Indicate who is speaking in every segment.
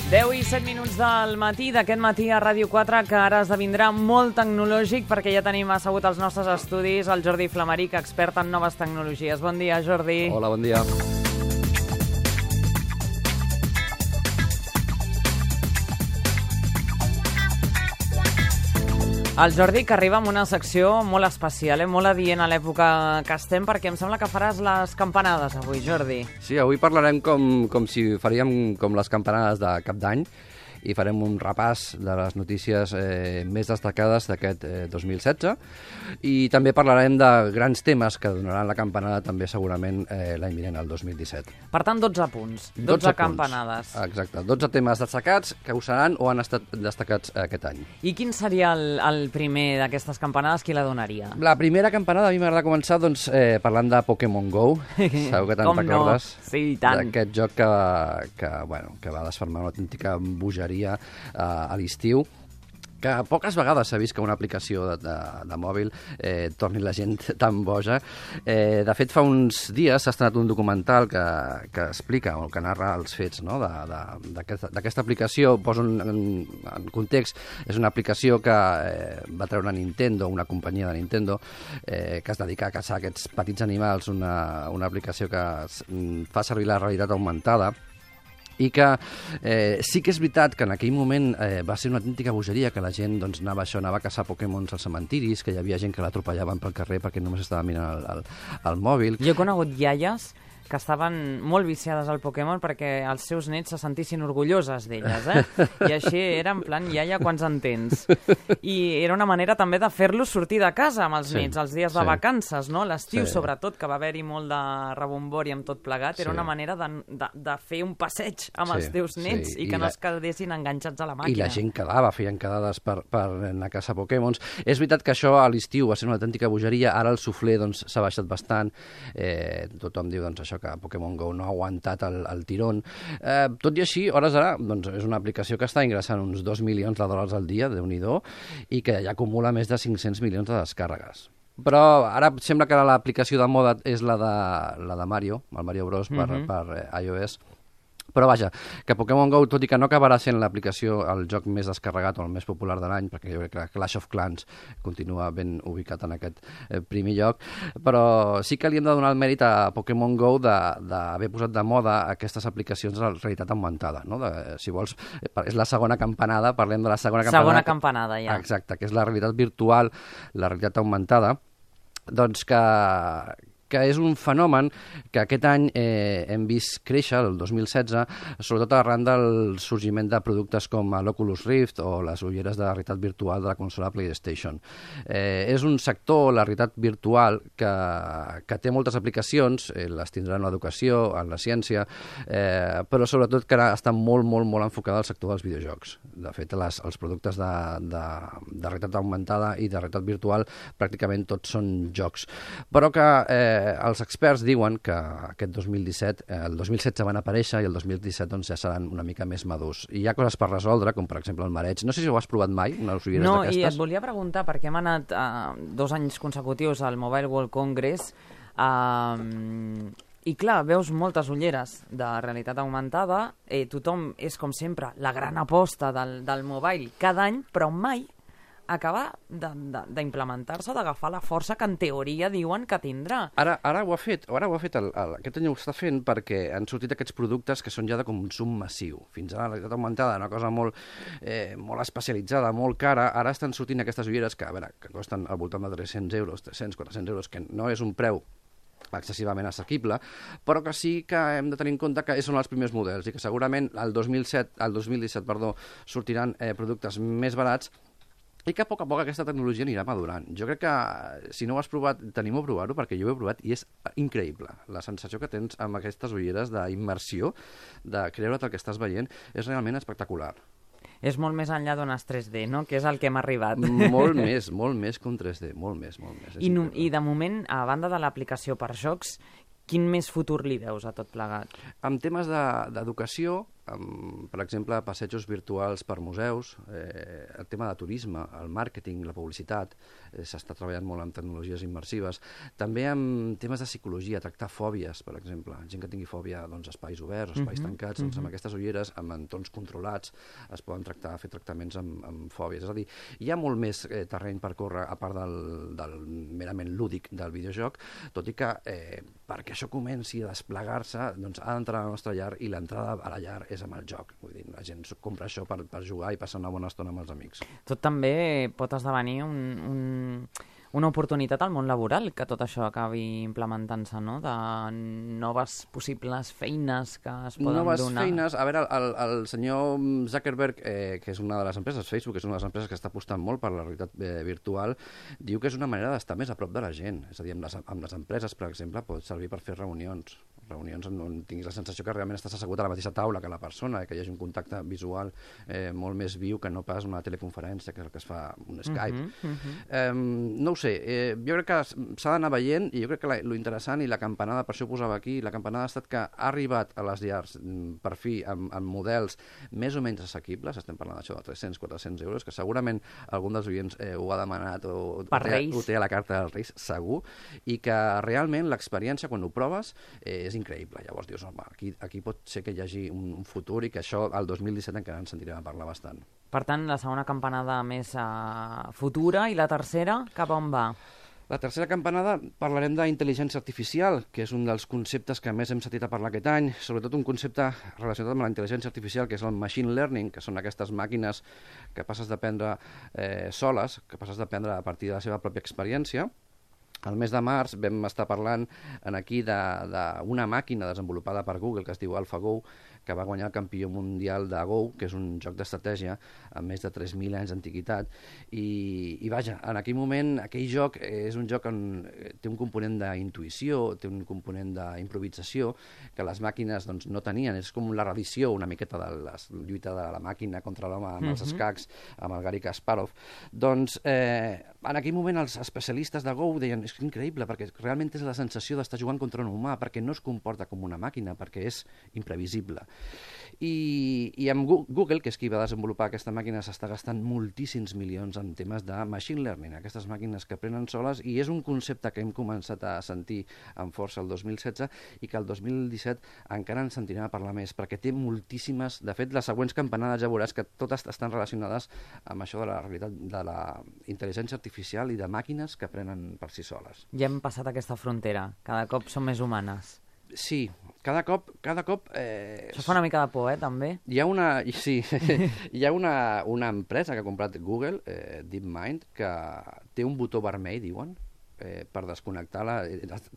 Speaker 1: 10:07 del matí, d'aquest matí a Ràdio 4, que ara esdevindrà molt tecnològic perquè ja tenim assegut als nostres estudis el Jordi Flamaric, expert en noves tecnologies. Bon dia, Jordi.
Speaker 2: Hola, bon dia.
Speaker 1: El Jordi, que arriba amb una secció molt especial, molt adient a l'època que estem, perquè em sembla que faràs les campanades avui, Jordi.
Speaker 2: Sí, avui parlarem com si faríem com les campanades de Cap d'Any i farem un repàs de les notícies més destacades d'aquest 2016 i també parlarem de grans temes que donaran la campanada també segurament l'any vinent, el 2017.
Speaker 1: Per tant, 12 punts, 12 campanades.
Speaker 2: Exacte, 12 temes destacats que ho seran o han estat destacats aquest any.
Speaker 1: I quin seria el primer d'aquestes campanades? Qui la donaria?
Speaker 2: La primera campanada, a mi m'agrada començar parlant de Pokémon GO. Segur que te'n recordes?
Speaker 1: No? Sí, i tant.
Speaker 2: D'aquest joc que va desfermar una autèntica bogeria a l'estiu, que poques vegades s'ha vist que una aplicació de mòbil torni la gent tan boja. De fet, fa uns dies s'ha estrenat un documental que explica o que narra els fets, no, d'aquesta aplicació. Poso en context, és una aplicació que va treure Nintendo, una companyia de Nintendo, que es dedica a caçar aquests petits animals, una aplicació que fa servir la realitat augmentada, i que sí que és veritat que en aquell moment va ser una autèntica bogeria, que la gent anava a caçar Pokémons als cementiris, que hi havia gent que l'atropellaven pel carrer perquè només estava mirant el mòbil.
Speaker 1: Jo he conegut iaies que estaven molt viciades al Pokémon perquè els seus nets se sentissin orgulloses d'elles, I així era en plan, iaia, quants en tens? I era una manera també de fer-los sortir de casa amb els nets, els dies de vacances, no? L'estiu, sobretot, que va haver-hi molt de rebombori amb tot plegat, era una manera de fer un passeig amb els teus nets i que no es quedessin enganxats a la màquina.
Speaker 2: I la gent feien quedades per anar a caçar Pokémons. És veritat que això a l'estiu va ser una autèntica bogeria, ara el suflé s'ha baixat bastant, tothom diu això que Pokémon GO no ha aguantat el tirón. Tot i així, hores d'ara, és una aplicació que està ingressant uns 2 milions de dòlars al dia, Déu-n'hi-do, i que ja acumula més de 500 milions de descàrregues. Però ara sembla que l'aplicació de moda és la de Mario, el Mario Bros per iOS. Però vaja, que Pokémon GO, tot i que no acabarà sent l'aplicació, el joc més descarregat o el més popular de l'any, perquè jo crec que Clash of Clans continua ben ubicat en aquest primer lloc, però sí que li hem de donar el mèrit a Pokémon GO d'haver posat de moda aquestes aplicacions de la realitat augmentada, no? Si vols, és la segona campanada, parlem de la segona campanada.
Speaker 1: Segona campanada, ja.
Speaker 2: Exacte, que és la realitat virtual, la realitat augmentada, doncs que és un fenomen que aquest any hem vist créixer, el 2016, sobretot arran del sorgiment de productes com l'Oculus Rift o les ulleres de realitat virtual de la consola PlayStation. És un sector, la realitat virtual, que té moltes aplicacions, les tindrà en l'educació, en la ciència, però sobretot que ara està molt, molt, molt enfocada al sector dels videojocs. De fet, els productes de realitat augmentada i de realitat virtual pràcticament tots són jocs. Però que els experts diuen que aquest 2017, el 2016 van aparèixer i el 2017 ja seran una mica més madurs. I hi ha coses per resoldre, com per exemple el mareig. No sé si ho has provat mai, unes ulleres d'aquestes.
Speaker 1: No, i et volia preguntar, perquè hem anat 2 anys consecutius al Mobile World Congress i clar, veus moltes ulleres de realitat augmentada, tothom és com sempre la gran aposta del mobile cada any, però mai acabar d'implementar-se, d'agafar la força que en teoria diuen que tindrà.
Speaker 2: Ara ho ha fet, aquest any ho està fent perquè han sortit aquests productes que són ja de consum massiu. Fins ara la realitat augmentada, una cosa molt especialitzada, molt cara, ara estan sortint aquestes ulleres que costen al voltant de 300 euros, 400 euros, que no és un preu excessivament assequible, però que sí que hem de tenir en compte que són els primers models i que segurament el 2017 sortiran productes més barats i que a poc aquesta tecnologia anirà madurant. Jo crec que, si no ho has provat, tenim a provar-ho, perquè jo ho he provat i és increïble. La sensació que tens amb aquestes ulleres d'immersió, de creure't el que estàs veient, és realment espectacular.
Speaker 1: És molt més enllà d'unes 3D, no? Que és el que hem arribat.
Speaker 2: Molt més que un 3D, molt més.
Speaker 1: I de moment, a banda de l'aplicació per jocs, quin més futur li veus a tot plegat?
Speaker 2: En temes d'educació, per exemple, passejos virtuals per museus, el tema de turisme, el màrqueting, la publicitat, s'està treballant molt amb tecnologies immersives. També amb temes de psicologia, tractar fòbies, per exemple. Gent que tingui fòbia a espais oberts, espais tancats, doncs amb aquestes ulleres, amb entorns controlats, es poden fer tractaments amb fòbies. És a dir, hi ha molt més terreny per córrer, a part del merament lúdic del videojoc, tot i que perquè això comenci a desplegar-se, doncs ha d'entrar a la nostra llar, i l'entrada a la llar és amb el joc. Vull dir, la gent compra això per jugar i passar una bona estona amb els amics.
Speaker 1: Tot també pot esdevenir una oportunitat al món laboral, que tot això acabi implementant-se, no? De noves possibles feines que es poden donar.
Speaker 2: Noves feines. A veure, el senyor Zuckerberg, que és una de les empreses, Facebook, és una de les empreses que està apostant molt per la realitat virtual, diu que és una manera d'estar més a prop de la gent. És a dir, amb les empreses, per exemple, pot servir per fer reunions on tinguis la sensació que realment estàs assegut a la mateixa taula que la persona, que hi hagi un contacte visual molt més viu que no pas una teleconferència, que és el que es fa un Skype. No ho sé, jo crec que s'ha d'anar veient, i jo crec que lo interessant i la campanada, per això ho posava aquí, la campanada ha estat que ha arribat a les llars per fi amb models més o menys assequibles, estem parlant d'això de 300-400 euros, que segurament algun dels oients ho ha demanat o ho té a la carta dels Reis, segur, i que realment l'experiència, quan ho proves, és increïble. Llavors dius, home, aquí pot ser que hi hagi un futur, i que això al 2017 encara ens sentirem a parlar bastant.
Speaker 1: Per tant, la segona campanada més futura, i la tercera, cap on va?
Speaker 2: La tercera campanada parlarem d'intel·ligència artificial, que és un dels conceptes que més hem sentit a parlar aquest any, sobretot un concepte relacionat amb la intel·ligència artificial, que és el machine learning, que són aquestes màquines que passes d'aprendre soles, que passes d'aprendre a partir de la seva pròpia experiència. Al mes de març vam estar parlant aquí d'una màquina desenvolupada per Google que es diu AlphaGo, que va guanyar el campió mundial de Go, que és un joc d'estratègia amb més de 3.000 anys d'antiguitat. I vaja, en aquell moment, aquell joc és un joc on té un component d'intuïció, té un component d'improvisació, que les màquines doncs, no tenien. És com la reedició una miqueta de la lluita de la màquina contra l'home amb els escacs, amb el Garry Kasparov. Doncs en aquell moment els especialistes de Go deien, és increïble, perquè realment és la sensació d'estar jugant contra un humà, perquè no es comporta com una màquina, perquè és imprevisible. I amb Google, que és qui va desenvolupar aquesta màquina, s'està gastant moltíssims milions en temes de machine learning, aquestes màquines que aprenen soles, i és un concepte que hem començat a sentir amb força el 2016 i que el 2017 encara en sentirem a parlar més, perquè té moltíssimes... De fet, les següents campanades ja veuràs que totes estan relacionades amb això de la realitat de la intel·ligència artificial i de màquines que aprenen per si soles.
Speaker 1: Ja hem passat aquesta frontera, cada cop són més humanes.
Speaker 2: Sí, cada cop...
Speaker 1: Això fa una mica de por, també?
Speaker 2: Hi ha una empresa que ha comprat Google, DeepMind, que té un botó vermell, diuen, per desconnectar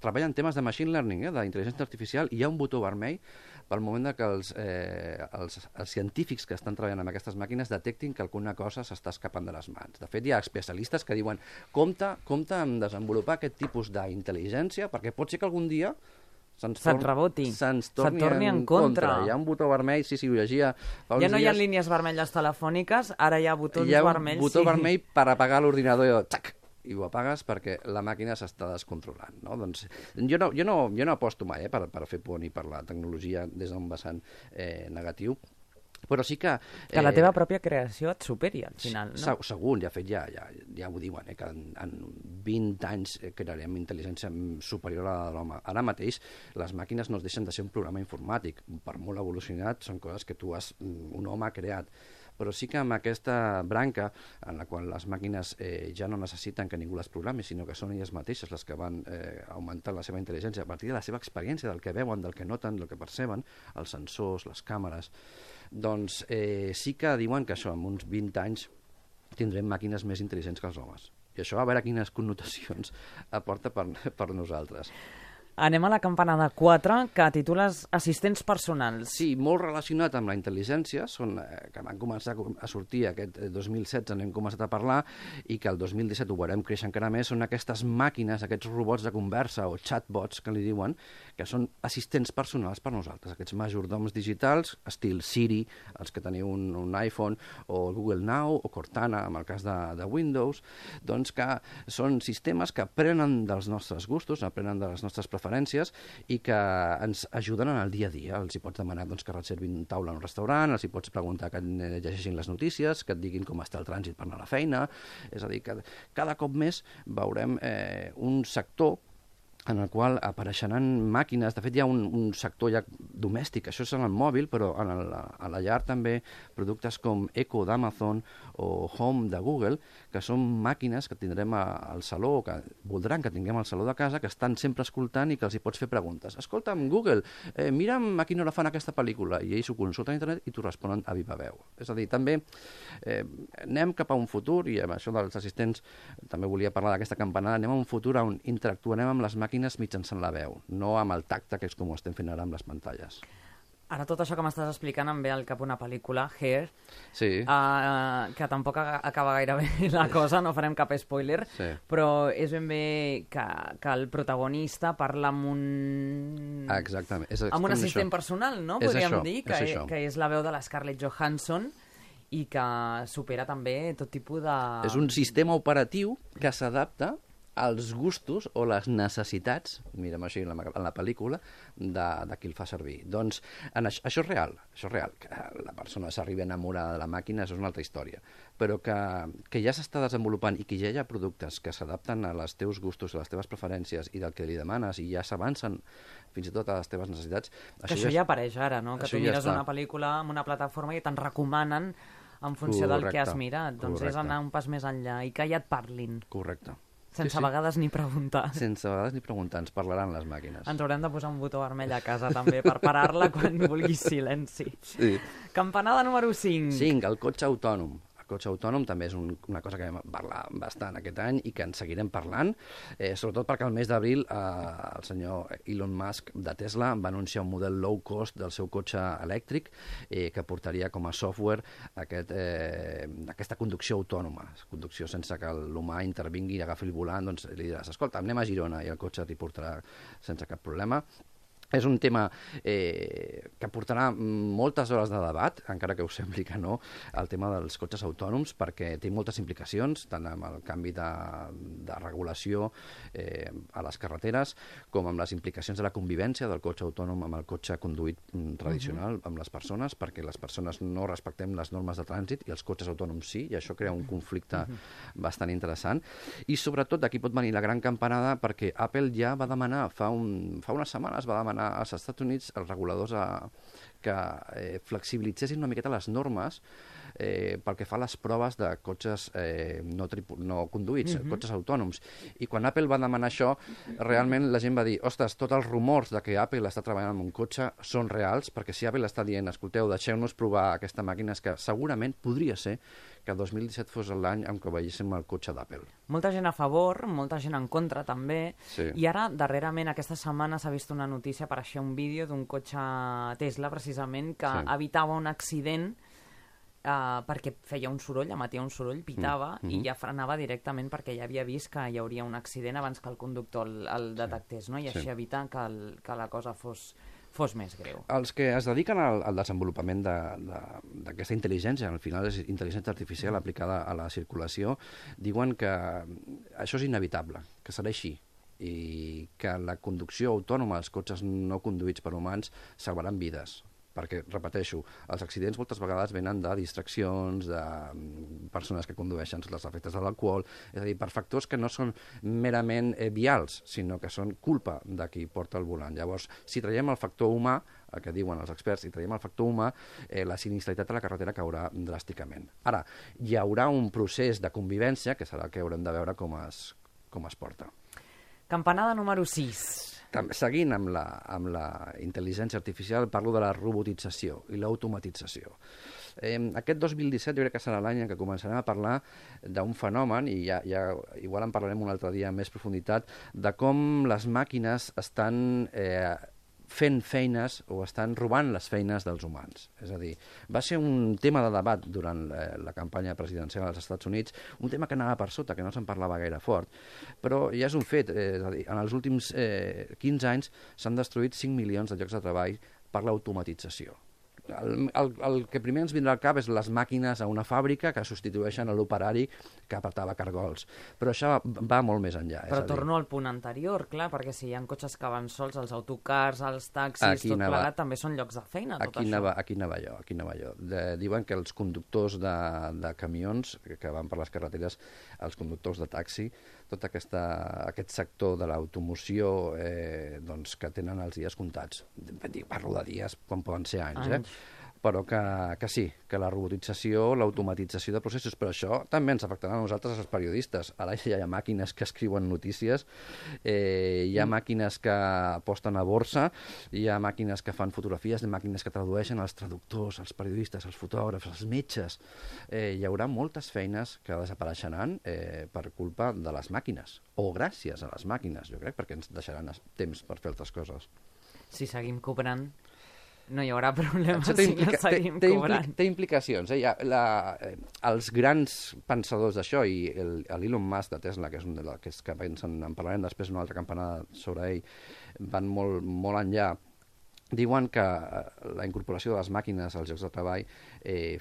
Speaker 2: treballa en temes de machine learning, d'intel·ligència artificial, i hi ha un botó vermell pel moment que els científics que estan treballant amb aquestes màquines detectin que alguna cosa s'està escapant de les mans. De fet, hi ha especialistes que diuen compte amb desenvolupar aquest tipus d'intel·ligència, perquè pot ser que algun dia se'ns torni en contra. Hi ha un botó vermell, sí, ho llegia fa uns dies.
Speaker 1: Ja no hi ha línies vermelles telefòniques, ara hi ha botons vermells.
Speaker 2: Hi ha un botó vermell per apagar l'ordinador i ho apagues perquè la màquina s'està descontrolant. No? Doncs, jo no aposto mai per fer por ni per la tecnologia des d'un vessant negatiu, però sí que...
Speaker 1: Que la teva pròpia creació et superi al final, no?
Speaker 2: Segur, de fet ja ho diuen, que en 20 anys crearem intel·ligència superior a la de l'home. Ara mateix les màquines no es deixen de ser un programa informàtic, per molt evolucionat són coses que un home ha creat, però sí que amb aquesta branca en la qual les màquines ja no necessiten que ningú les programi, sinó que són elles mateixes les que van augmentant la seva intel·ligència a partir de la seva experiència, del que veuen, del que noten, del que perceben, els sensors, les càmeres. Doncs sí que diuen que això, en uns 20 anys tindrem màquines més intel·ligents que els homes. I això a veure quines connotacions aporta per nosaltres.
Speaker 1: Anem a la campanada 4, que titules assistents personals.
Speaker 2: Sí, molt relacionat amb la intel·ligència, que van començar a sortir aquest 2016, n'hem començat a parlar, i que el 2017 ho veurem créixer encara més, són aquestes màquines, aquests robots de conversa, o chatbots, que li diuen, que són assistents personals per nosaltres, aquests majordoms digitals, estil Siri, els que teniu un iPhone, o Google Now, o Cortana, en el cas de Windows, doncs que són sistemes que aprenen dels nostres gustos, aprenen de les nostres preferències, preferències i que ens ajuden en el dia a dia. Els hi pots demanar que reservin taula en un restaurant, els hi pots preguntar que llegeixin les notícies, que et diguin com està el trànsit per anar a la feina. És a dir, que cada cop més veurem un sector en el qual apareixeran màquines. De fet, hi ha un sector ja domèstic, això és en el mòbil, però a la llar també productes com Echo d'Amazon o Home de Google, que són màquines que tindrem al saló, o que voldran que tinguem al saló de casa, que estan sempre escoltant i que els hi pots fer preguntes. Escolta'm, Google, mira'm a quina hora fan aquesta pel·lícula, i ells ho consulten a internet i t'ho responen a viva veu. És a dir, també anem cap a un futur, i amb això dels assistents també volia parlar d'aquesta campanada, anem a un futur on interactuarem amb les màquines mitjançant la veu, no amb el tacte, que és com ho estem fent ara amb les pantalles.
Speaker 1: Ara tot això que m'estàs explicant em ve al cap una pel·lícula, Hair,
Speaker 2: sí.
Speaker 1: Que tampoc acaba gaire bé la cosa, no farem cap spoiler,
Speaker 2: sí.
Speaker 1: Però és ben bé que el protagonista parla amb un...
Speaker 2: Exactament.
Speaker 1: Amb un assistent personal, no? Podríem dir, que és la veu de la Scarlett Johansson i que supera també tot tipus de...
Speaker 2: És un sistema operatiu que s'adapta als gustos o les necessitats, mira'm així en la pel·lícula, de qui el fa servir. Doncs això és real, que la persona s'arribi a enamorar de la màquina, això és una altra història, però que ja s'està desenvolupant i que ja hi ha productes que s'adapten a les teus gustos, a les teves preferències i del que li demanes i ja s'avancen fins i tot a les teves necessitats.
Speaker 1: Que això ja apareix ara, no? Que tu mires una pel·lícula en una plataforma i te'n recomanen en funció del que has mirat. Doncs és anar un pas més enllà i que ja et parlin.
Speaker 2: Correcte.
Speaker 1: Sense a vegades ni preguntar.
Speaker 2: Sense a vegades ni preguntar, ens parlaran les màquines.
Speaker 1: Ens haurem de posar un botó vermell a casa també per parar-la quan vulguis silenci.
Speaker 2: Sí.
Speaker 1: Campanada número 5.
Speaker 2: 5, el cotxe autònom. El cotxe autònom també és una cosa que vam parlar bastant aquest any i que en seguirem parlant, sobretot perquè el mes d'abril el senyor Elon Musk de Tesla va anunciar un model low cost del seu cotxe elèctric que portaria com a software aquesta conducció autònoma, conducció sense que l'humà intervingui i agafi el volant, doncs li diràs, escolta, anem a Girona i el cotxe t'hi portarà sense cap problema. És un tema que portarà moltes hores de debat, encara que us sembli que no, el tema dels cotxes autònoms, perquè té moltes implicacions, tant amb el canvi de regulació a les carreteres, com amb les implicacions de la convivència del cotxe autònom amb el cotxe conduït tradicional, amb les persones, perquè les persones no respectem les normes de trànsit i els cotxes autònoms sí, i això crea un conflicte bastant interessant. I sobretot d'aquí pot venir la gran campanada, perquè Apple ja va demanar, fa unes setmanes va demanar als Estats Units els reguladors que flexibilitzessin una miqueta les normes pel que fa a les proves de cotxes no conduïts, cotxes autònoms. I quan Apple va demanar això, realment la gent va dir, ostres, tots els rumors de que Apple està treballant en un cotxe són reals, perquè si Apple està dient, escolteu, deixeu-nos provar aquesta màquina, és que segurament podria ser que el 2017 fos l'any en què veiéssim el cotxe d'Apple.
Speaker 1: Molta gent a favor, molta gent en contra també,
Speaker 2: sí.
Speaker 1: I ara, darrerament, aquesta setmana s'ha vist una notícia, apareixia un vídeo d'un cotxe Tesla, precisament, que evitava un accident perquè feia un soroll, emetia un soroll, pitava i ja frenava directament perquè ja havia vist que hi hauria un accident abans que el conductor el detectés, no? I així evita que la cosa fos més greu.
Speaker 2: Els que es dediquen al desenvolupament d'aquesta intel·ligència, al final és intel·ligència artificial aplicada a la circulació, diuen que això és inevitable, que serà així, i que la conducció autònoma als cotxes no conduïts per humans salvaran vides. Perquè, repeteixo, els accidents moltes vegades venen de distraccions, de persones que condueixen sota els efectes de l'alcohol, és a dir, per factors que no són merament vials, sinó que són culpa de qui porta el volant. Llavors, si traiem el factor humà, el que diuen els experts, si traiem el factor humà, la sinistralitat de la carretera caurà dràsticament. Ara, hi haurà un procés de convivència, que serà el que haurem de veure com es porta.
Speaker 1: Campanada número 6.
Speaker 2: Seguint amb la intel·ligència artificial, parlo de la robotització i l'automatització. Aquest 2017 jo crec que serà l'any en què començarem a parlar d'un fenomen, i ja igual en parlarem un altre dia amb més profunditat, de com les màquines estan fent feines o estan robant les feines dels humans. És a dir, va ser un tema de debat durant la campanya presidencial als Estats Units, un tema que anava per sota, que no se'n parlava gaire fort, però ja és un fet. És a dir, en els últims 15 anys s'han destruït 5 milions de llocs de treball per l'automatització. el que primer ens vindrà al cap és les màquines a una fàbrica que substitueixen l'operari que apretava cargols. Però això va molt més enllà.
Speaker 1: Però torno al punt anterior, clar, perquè si hi ha cotxes que van sols, els autocars, els taxis, tot plegat, també són llocs de feina, tot això.
Speaker 2: Aquí anava jo. Diuen que els conductors de camions que van per les carreteres, els conductors de taxi, tot aquest sector de l'automoció doncs, que tenen els dies comptats. Parlo de dies quan poden ser anys. Però que sí, que la robotització, l'automatització de processos, però això també ens afectarà a nosaltres, els periodistes. Ara ja hi ha màquines que escriuen notícies, hi ha màquines que aposten a borsa, hi ha màquines que fan fotografies, hi ha màquines que tradueixen, els traductors, els periodistes, els fotògrafs, els metges. Hi haurà moltes feines que desapareixeran per culpa de les màquines, o gràcies a les màquines, jo crec, perquè ens deixaran temps per fer altres coses.
Speaker 1: Si seguim cobrant, no hi haurà problema si la seguim cobrant.
Speaker 2: Té implicacions. Els grans pensadors d'això, i l'Elon Musk de Tesla, que és un dels que pensen, en parlarem després una altra campanada sobre ell, van molt enllà, diuen que la incorporació de les màquines als llocs de treball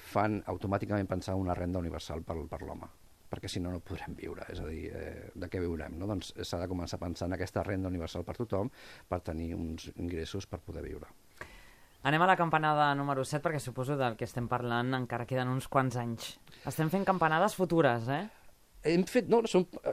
Speaker 2: fan automàticament pensar una renda universal per l'home, perquè si no, no podrem viure. És a dir, de què viurem? No? Doncs s'ha de començar a pensar en aquesta renda universal per tothom per tenir uns ingressos per poder viure.
Speaker 1: Anem a la campanada número 7, perquè suposo del que estem parlant encara queden uns quants anys. Estem fent campanades futures,
Speaker 2: Hem fet, no,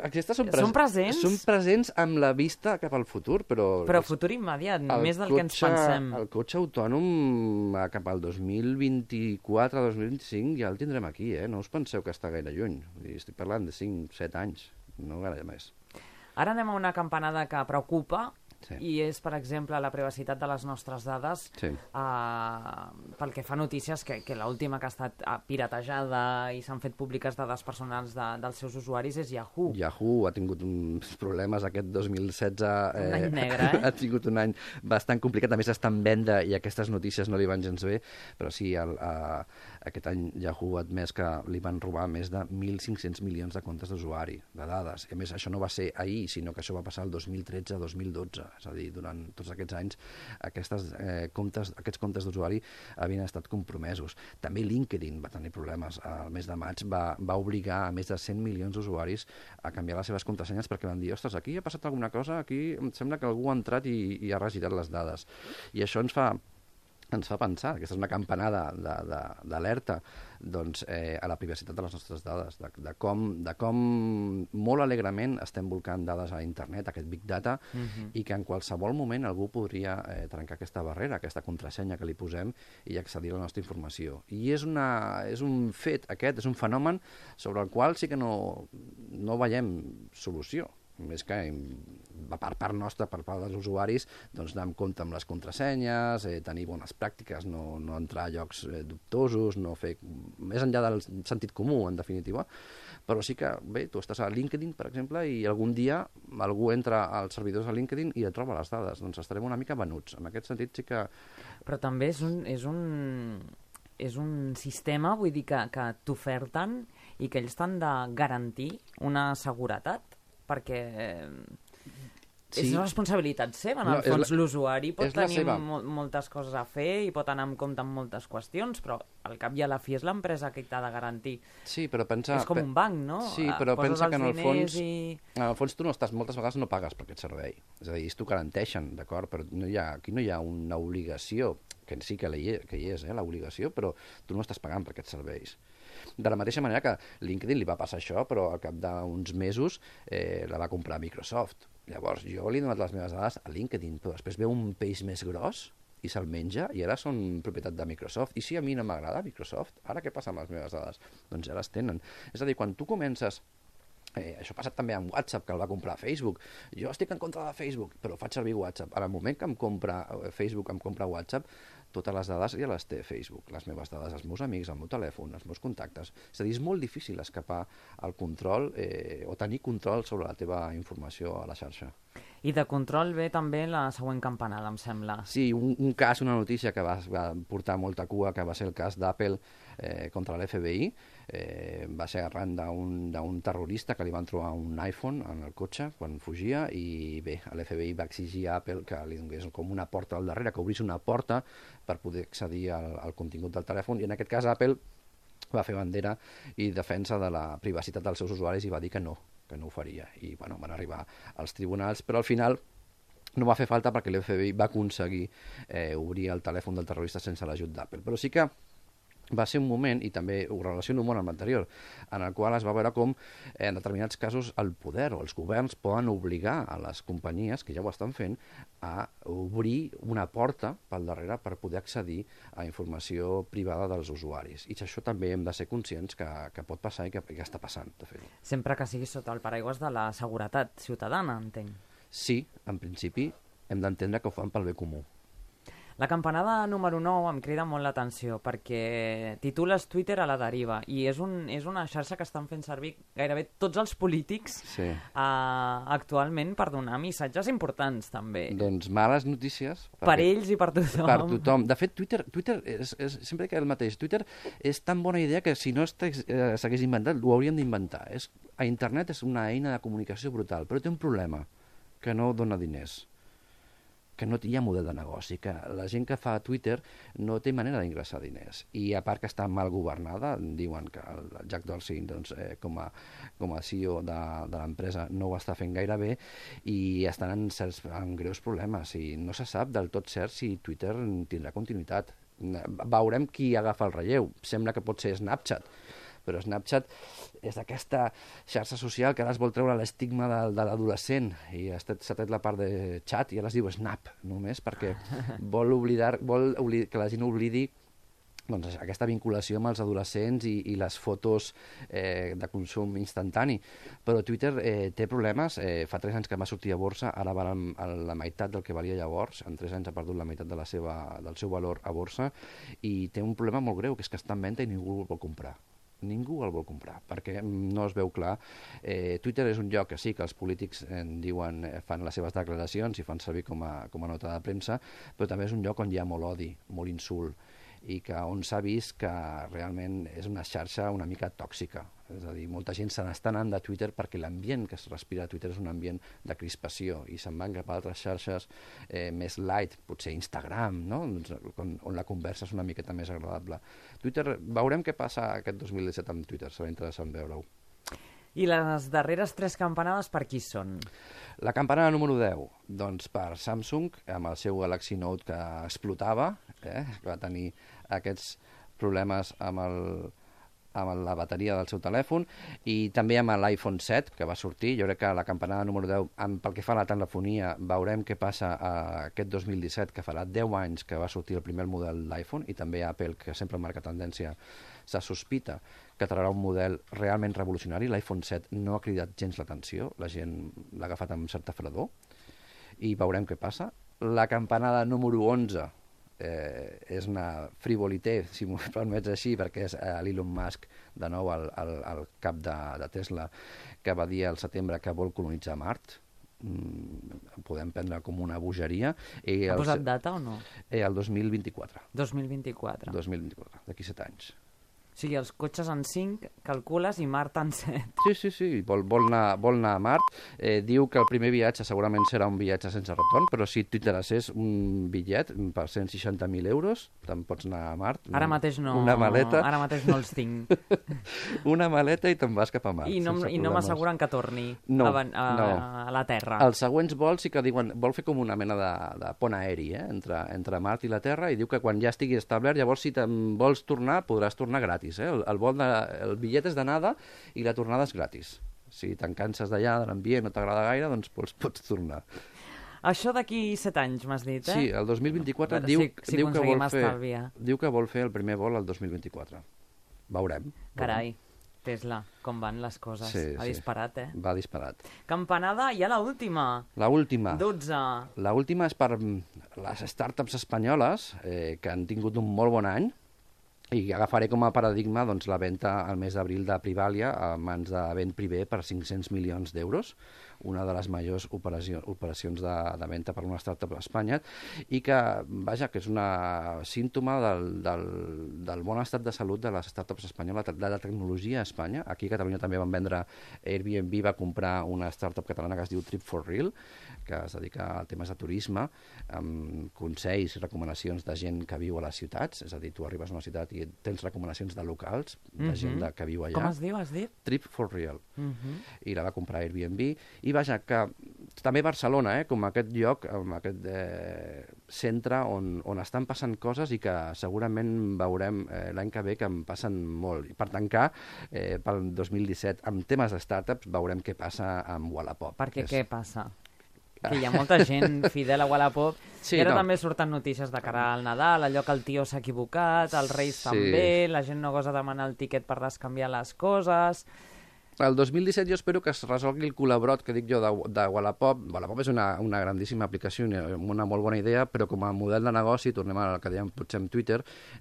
Speaker 2: aquestes són
Speaker 1: presents?
Speaker 2: Són presents amb la vista cap al futur, però...
Speaker 1: Però futur immediat, més del que ens pensem.
Speaker 2: El cotxe autònom cap al 2024-2025 ja el tindrem aquí, No us penseu que està gaire lluny. Estic parlant de 5-7 anys, no gaire més.
Speaker 1: Ara anem a una campanada que preocupa, i és, per exemple, la privacitat de les nostres dades, pel que fa a notícies, que l'última que ha estat piratejada i s'han fet públiques dades personals dels seus usuaris és Yahoo.
Speaker 2: Yahoo ha tingut uns problemes aquest 2016.
Speaker 1: Un any negre,
Speaker 2: Ha tingut un any bastant complicat, a més està en venda i aquestes notícies no li van gens bé, però sí, aquest any Yahoo ha admès que li van robar més de 1.500 milions de comptes d'usuari, de dades. A més, això no va ser ahir, sinó que això va passar el 2013-2012. És a dir, durant tots aquests anys aquests comptes d'usuari havien estat compromesos. També LinkedIn va tenir problemes. El mes de maig va obligar a més de 100 milions d'usuaris a canviar les seves contrasenyes perquè van dir, ostres, aquí ha passat alguna cosa, aquí em sembla que algú ha entrat i ha regirat les dades. I això ens fa pensar, aquesta és una campanada d'alerta a la privacitat de les nostres dades, de com molt alegrement estem volcant dades a internet, aquest big data, i que en qualsevol moment algú podria trencar aquesta barrera, aquesta contrasenya que li posem i accedir a la nostra informació. I és un fet aquest, és un fenomen sobre el qual sí que no veiem solució. Més que per part nostra, per part dels usuaris, doncs anar amb compte amb les contrasenyes, tenir bones pràctiques, no entrar a llocs dubtosos, no fer més enllà del sentit comú, en definitiva. Però sí que, bé, tu estàs a LinkedIn, per exemple, i algun dia algú entra als servidors de LinkedIn i et troba les dades. Doncs estarem una mica venuts. En aquest sentit sí que...
Speaker 1: Però també és un sistema, vull dir, que t'oferten i que ells t'han de garantir una seguretat, perquè és responsabilitat seva, en el fons. L'usuari pot tenir moltes coses a fer i pot anar amb compte amb moltes qüestions, però al cap i a la fi és l'empresa que t'ha de garantir.
Speaker 2: Sí, però pensa...
Speaker 1: És com un banc, no?
Speaker 2: Sí, però pensa que en el fons tu no estàs, moltes vegades no pagues per aquest servei. És a dir, t'ho garanteixen, d'acord? Però aquí no hi ha una obligació, que sí que hi és, l'obligació, però tu no estàs pagant per aquests serveis. De la mateixa manera que LinkedIn li va passar això, però al cap d'uns mesos la va comprar Microsoft. Llavors, jo li he donat les meves dades a LinkedIn, però després veu un peix més gros i se'l menja, i ara són propietat de Microsoft. I si a mi no m'agrada Microsoft, ara què passa amb les meves dades? Doncs ja les tenen. És a dir, quan tu comences... això ha passat també amb WhatsApp, que el va comprar Facebook. Jo estic en contra de Facebook, però faig servir WhatsApp. En el moment que em compra Facebook, em compra WhatsApp, totes les dades ja les té Facebook. Les meves dades, els meus amics, el meu telèfon, els meus contactes. És a dir, és molt difícil escapar al control o tenir control sobre la teva informació a la xarxa.
Speaker 1: I de control ve també la següent campanada, em sembla.
Speaker 2: Sí, un cas, una notícia que va portar molta cua, que va ser el cas d'Apple contra l'FBI. Va ser arran d'un terrorista que li van trobar un iPhone en el cotxe quan fugia i bé, l'FBI va exigir a Apple que li donés com una porta al darrere, que obrís una porta per poder accedir al contingut del telèfon, i en aquest cas Apple va fer bandera i defensa de la privacitat dels seus usuaris i va dir que no ho faria. I bueno, van arribar als tribunals, però al final no va fer falta perquè l'FBI va aconseguir obrir el telèfon del terrorista sense l'ajut d'Apple. Però sí que va ser un moment, i també ho relaciono molt amb l'anterior, en el qual es va veure com en determinats casos el poder o els governs poden obligar a les companyies, que ja ho estan fent, a obrir una porta pel darrere per poder accedir a informació privada dels usuaris. I això també hem de ser conscients que pot passar i que està passant, de fet.
Speaker 1: Sempre que sigui sota el paraigües de la seguretat ciutadana, entenc.
Speaker 2: Sí, en principi hem d'entendre que ho fan pel bé comú.
Speaker 1: La campanada número 9 em crida molt l'atenció perquè titules Twitter a la deriva i és una xarxa que estan fent servir gairebé tots els polítics actualment per donar missatges importants també.
Speaker 2: Doncs males notícies.
Speaker 1: Per ells i per tothom.
Speaker 2: Per tothom. De fet, Twitter sempre que el mateix. Twitter és tan bona idea que si no s'hagués inventat, ho hauríem d'inventar. A internet és una eina de comunicació brutal, però té un problema, que no dona diners, que no hi ha model de negoci, que la gent que fa Twitter no té manera d'ingressar diners. I a part que està mal governada, diuen que el Jack Dorsey, doncs, com a CEO de l'empresa, no ho està fent gaire bé i estan en greus problemes. I no se sap del tot cert si Twitter tindrà continuïtat. Veurem qui agafa el relleu. Sembla que pot ser Snapchat, però Snapchat és aquesta xarxa social que ara es vol treure l'estigma de l'adolescent i s'ha tret la part de xat i ara es diu Snap, només perquè vol que la gent oblidi doncs, aquesta vinculació amb els adolescents i les fotos de consum instantani. Però Twitter té problemes. Fa 3 anys que va sortir a borsa, ara val la meitat del que valia llavors. En 3 anys ha perdut la meitat del seu valor a borsa i té un problema molt greu, que és que està en venda i ningú el vol comprar. Ningú el vol comprar, perquè no es veu clar. Twitter és un lloc que sí, que els polítics fan les seves declaracions i fan servir com a nota de premsa, però també és un lloc on hi ha molt odi, molt insult, i on s'ha vist que realment és una xarxa una mica tòxica. És a dir, molta gent se n'està anant de Twitter perquè l'ambient que es respira a Twitter és un ambient de crispació i se'n van cap a altres xarxes més light, potser Instagram, no? On la conversa és una miqueta més agradable. Twitter, veurem què passa aquest 2017 amb Twitter, serà interessant veure-ho.
Speaker 1: I les darreres 3 campanades per qui són?
Speaker 2: La campanada número 10, doncs per Samsung, amb el seu Galaxy Note que explotava, que va tenir aquests problemes amb la bateria del seu telèfon, i també amb l'iPhone 7, que va sortir. Jo crec que la campanada número 10, pel que fa a la telefonia, veurem què passa aquest 2017, que farà 10 anys que va sortir el primer model d'iPhone, i també Apple, que sempre marca tendència, se sospita que traurà un model realment revolucionari. L'iPhone 7 no ha cridat gens l'atenció, la gent l'ha agafat amb certa fredor, i veurem què passa. La campanada número 11, és una frivolité, si m'ho permets així, perquè és l'Elon Musk, de nou el cap de Tesla, que va dir al setembre que vol colonitzar Mart. Podem prendre com una bogeria.
Speaker 1: Ha posat data o no?
Speaker 2: El 2024.
Speaker 1: 2024.
Speaker 2: 2024, d'aquí 7 anys.
Speaker 1: O sigui, els cotxes en 5, calcules, i Mart en 7.
Speaker 2: Sí, vol anar a Mart. Diu que el primer viatge segurament serà un viatge sense retorn, però si t'interessés un bitllet per 160.000 euros, te'n pots anar a Mart.
Speaker 1: Ara mateix no.
Speaker 2: Una maleta.
Speaker 1: Ara mateix no els tinc.
Speaker 2: Una maleta i te'n vas cap a Mart.
Speaker 1: I no m'asseguren que torni a la Terra.
Speaker 2: Els següents vols sí que diuen, vol fer com una mena de pont aeri entre Mart i la Terra, i diu que quan ja estigui establert, llavors si te'n vols tornar, podràs tornar gratis. El bitllet és d'anada i la tornada és gratis. Si te'n canses d'allà, de l'ambient, no t'agrada gaire, doncs pots tornar.
Speaker 1: Això d'aquí 7 anys, m'has dit,
Speaker 2: Sí, el 2024 diu que vol fer el primer vol el 2024. Veurem.
Speaker 1: Carai, Tesla, com van les coses. Ha disparat,
Speaker 2: Va disparat.
Speaker 1: Campanada, ja l'última.
Speaker 2: L'última.
Speaker 1: 12.
Speaker 2: L'última és per les startups espanyoles, que han tingut un molt bon any, i agafaré com a paradigma la venda al mes d'abril de Privalia a mans de Ben Privé per 500 milions d'euros, una de les majors operacions de venda per una startup a Espanya, i que, vaja, que és una símptoma del bon estat de salut de les startups espanyoles, de la tecnologia a Espanya. Aquí a Catalunya també van vendre, Airbnb va comprar una startup catalana que es diu Trip4Real, que es dedica a temes de turisme, amb consells i recomanacions de gent que viu a les ciutats, és a dir, tu arribes a una ciutat i tens recomanacions de locals, de gent que viu allà.
Speaker 1: Com es diu, has dit?
Speaker 2: Trip4Real. I la va comprar Airbnb. I vaja, que també Barcelona, com aquest lloc, aquest centre on estan passant coses i que segurament veurem l'any que ve que en passen molt. I per tancar, pel 2017, amb temes de startups, veurem què passa amb Wallapop.
Speaker 1: Perquè què passa? Que hi ha molta gent fidel a Wallapop, i ara també surten notícies de cara al Nadal, allò que el tio s'ha equivocat, els Reis també, la gent no gosa demanar el tiquet per descanviar les coses.
Speaker 2: El 2017 jo espero que es resolgui el col·labrot que dic jo de Wallapop. Wallapop és una grandíssima aplicació, una molt bona idea, però com a model de negoci, tornem al que dèiem potser amb Twitter,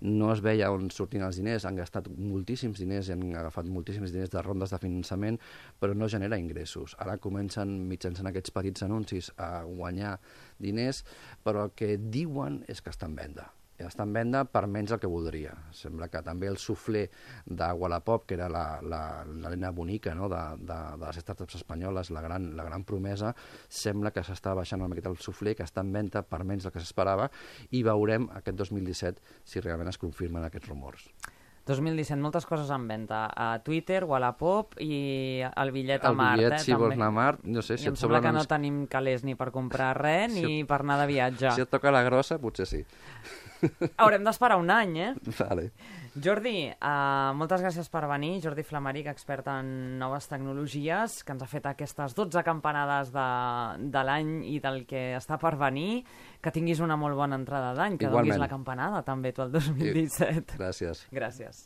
Speaker 2: no es veia on sortien els diners, han gastat moltíssims diners i han agafat moltíssims diners de rondes de finançament, però no genera ingressos. Ara comencen, mitjançant aquests petits anuncis, a guanyar diners, però el que diuen és que està en venda. Està en venda per menys del que voldria. Sembla que també el suflé de Wallapop, que era la nena bonica, no?, de les startups espanyoles, la gran promesa, sembla que s'està baixant una miqueta el suflé, que està en venda per menys del que s'esperava, i veurem aquest 2017 si realment es confirmen aquests rumors.
Speaker 1: 2017, moltes coses en venda. A Twitter, Wallapop i el bitllet a Mart.
Speaker 2: El bitllet, si vols anar a Mart, no sé si
Speaker 1: et sembla que no tenim calés ni per comprar res ni per anar de viatge.
Speaker 2: Si et toca la grossa, potser sí.
Speaker 1: Haurem d'esperar un any,
Speaker 2: Vale.
Speaker 1: Jordi, moltes gràcies per venir. Jordi Flamaric, expert en noves tecnologies, que ens ha fet aquestes 12 campanades de l'any i del que està per venir. Que tinguis una molt bona entrada d'any, que donis la campanada també tu el 2017.
Speaker 2: Gràcies.
Speaker 1: Gràcies.